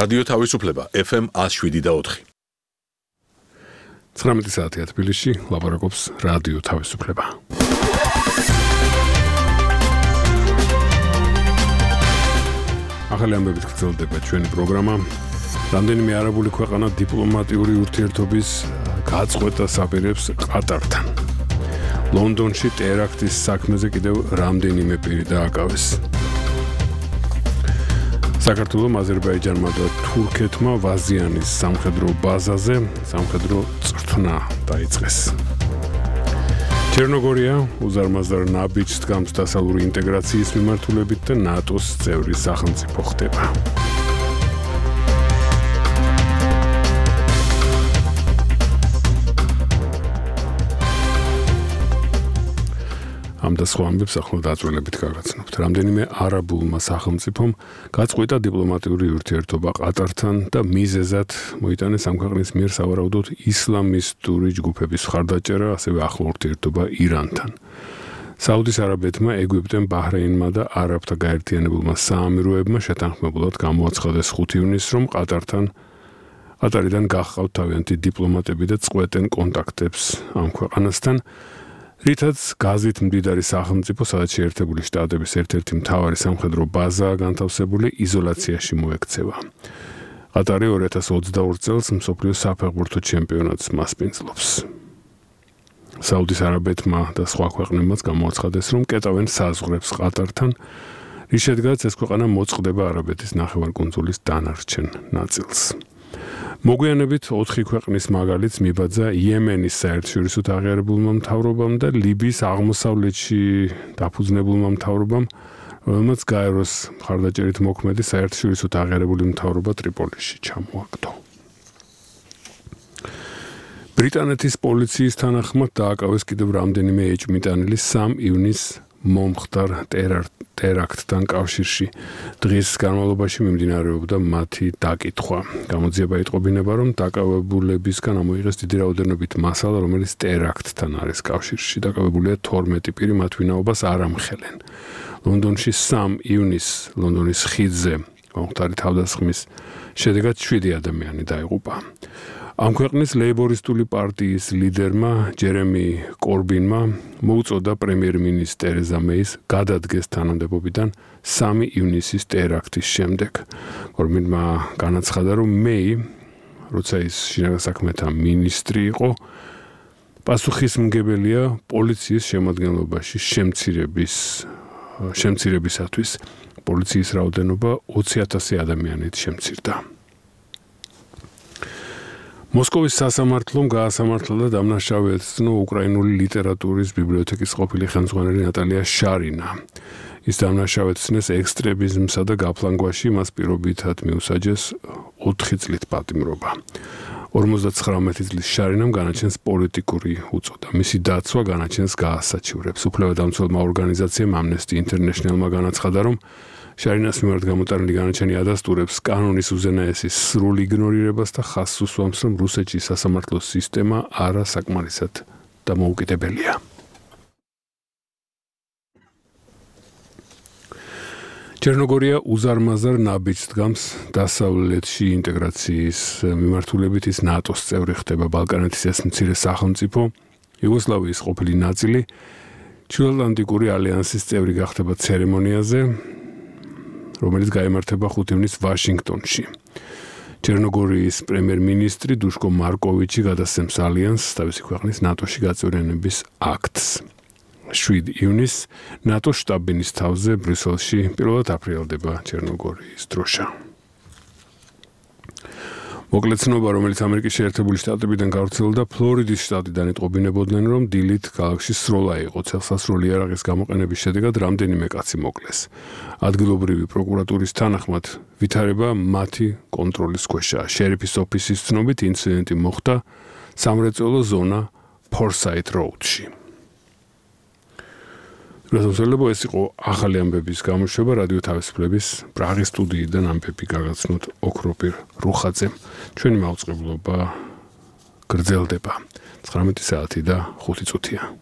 რადიო თავისუფლება FM 107.4. 19 საათია თბილისში, ლაპარაკობს რადიო თავისუფლება. ახალი ამბებით გრძელდება ჩვენი პროგრამა. რამდენიმე არაბული ქვეყანა დიპლომატიური ურთიერთობის გაწყვეტას აპირებს ყატართან. ლონდონში ტერაქტის საქმეზე კიდევ რამდენიმე პირი დააკავეს. საქართველოს აზერბაიჯანმა და თურქეთმა ვაზიანის სამხედრო ბაზაზე სამხედრო წვრთნა დაიწყეს. ჩერნოგორია უზარმაზარ ნაბიჯს დგამს დასავლური ინტეგრაციის მიმართულებით და ნატოს წევრი სახელმწიფო ხდება. ამ და სხვა ამბებს ახლა დაწვრილებით გაგაცნობთ. რამდენიმე არაბულმა სახელმწიფომ გაწყვეტა დიპლომატიური ურთიერთობა ყატართან და მიზეზად მოიტანეს ამ ქვეყნის მიერ სავარაუდოდ ისლამისტური ჯგუფების მხარდაჭერა, ასევე ახლო ურთიერთობა ირანთან. საუდის არაბეთმა, ეგვიპტემ, ბაჰრეინმა და არაბთა გაერთიანებულმა საამიროებმა შეთანხმებულად გამოაცხადეს 5 ივნისს, რომ ყატარიდან გახყავთ თავიანთი დიპლომატები და წყვეტენ კონტაქტებს ამ ქვეყანასთან. რითაც გაზით მდიდარი სახელმწიფო, სადაც შეერთებული შტატების ერთ-ერთი მთავარი სამხედრო ბაზაა განთავსებული, იზოლაციაში მოექცევა. ყატარი 2022 წელს მსოფლიოს საფეხბურთო ჩემპიონატს მასპინძლობს. საუდის არაბეთმა და სხვა ქვეყნებმაც გამოაცხადეს, რომ კეტავენ საზღვრებს ყატართან, რის შედეგადაც ეს ქვეყანა მოწყდება არაბეთის ნახევარკუნძულის დანარჩენ ნაწილს. მოგვიანებით 4 ქვეყნის მაგალითს მიბაძა იემენის საერთაშორისო აღიარებულმა მთავრობამ და ლიბიის აღმოსავლეთში დაფუძნებულმა მთავრობამ, რომელმაც გაეროს მხარდაჭერით მოქმედი საერთაშორისო აღიარებული მთავრობა ტრიპოლიში ჩამოაგდო. ბრიტანეთის პოლიციის თანახმად დააკავეს კიდევ რამდენიმე ეჭვმიტანილი 3 ივნისს მომხდარ ტერაქტთან კავშირში. დღის განმავლობაში მიმდინარეობდა მათი დაკითხვა. გამოძიება იტყობინება, რომ დაკავებულებისგან ამოიღეს დიდი რაოდენობით მასალა, რომელიც ტერაქტთან არის კავშირში. დაკავებულია 12 პირი, მათ ვინაობას არ ამხელენ. ლონდონში 3 ივნისს ლონდონის ხიდზე მომხდარი თავდასხმის შედეგად 7 ადამიანი დაიღუპა. ამ ქვეყნის ლეიბორისტული პარტიის ლიდერმა ჯერემი კორბინმა მოუწოდა პრემიერ-მინისტრ ტერეზა მეის გადადგეს თანამდებობიდან 3 ივნისის ტერაქტის შემდეგ. კორბინმა განაცხადა, რომ მეი, როცა ის შინაგან საქმეთა მინისტრი იყო, პასუხისმგებელია პოლიციის შემადგენლობაში შემცირებისათვის. პოლიციის რაოდენობა 20,000 ადამიანით შემცირდა. მოსკოვის სასამართლომ გაასამართლა და დამნაშავე ეცნო უკრაინული ლიტერატურის ბიბლიოთეკის ყოფილი ხელმძღვანელი ნატალია შარინა. ის დამნაშავედ ეცნეს ექსტრემიზმსა და გაფლანგვაში, მას პირობითად მიუსაჯეს 4 წლით პატიმრობა. 59 წლის შარინამ განაჩენს პოლიტიკური უწოდა. მისი დაცვა განაჩენს გაასაჩივრებს. უფლებადამცველმა ორგანიზაციამ Amnesty International-მა განაცხადა, რომ შარინას მიმართ გამოტანილი განაჩენი ადასტურებს კანონის უზენაესის სრულ იგნორირებას და ხაზს უსვამს, რომ რუსეთში სასამართლო სისტემა არასაკმარისად დამოუკიდებელია. ჩერნოგორია უზარმაზარ ნაბიჯს დგამს დასავლეთში ინტეგრაციის მიმართულებით, ის ნატოს წევრი ხდება. ბალკანეთის ეს მცირე სახელმწიფო, იუგოსლავიის ყოფილი ნაწილი, ჩრდილოატლანტიკური ალიანსის წევრი გახდება ცერემონიაზე, რომელიც გაიმართება 5 ივნისს ვაშინგტონში. ჩერნოგორიის პრემიერ-მინისტრი დუშკო მარკოვიჩი გადასცემს ალიანსს თავისი ქვეყნის ნატოში გაწევრიანების აქტს. 7 ივნისს ნატოს შტაბ-ბინის თავზე ბრიუსელში პირველად აფრიალდება ჩერნოგორიის დროშა. მოკლეცნობა, რომელიც ამერიკის შეერთებული შტატებიდან გავრცელდა, ფლორიდის შტატიდან იტყობინებოდნენ, რომ დილით ქალაქში სროლა იყო. ცელსასროლი იარაღის გამოყენების შედეგად რამდენიმე კაცი მოკლეს. ადგილობრივი პროკურატურის თანახმად ვითარება მათი კონტროლის ქვეშაა. შერიფის ოფისის ცნობით ინციდენტი მოხდა სამრეწველო ზონა ფორსაით როუდში. გასაოცარებო, ეს იყო ახალი ამბების გამოშვება რადიო თავისუფლების პრაღის სტუდიიდან ამბები გაგაცნოთ ოქროპირ რუხაძე. ჩვენი მაუწყებლობა გრძელდება 19 საათი და 5 წუთია.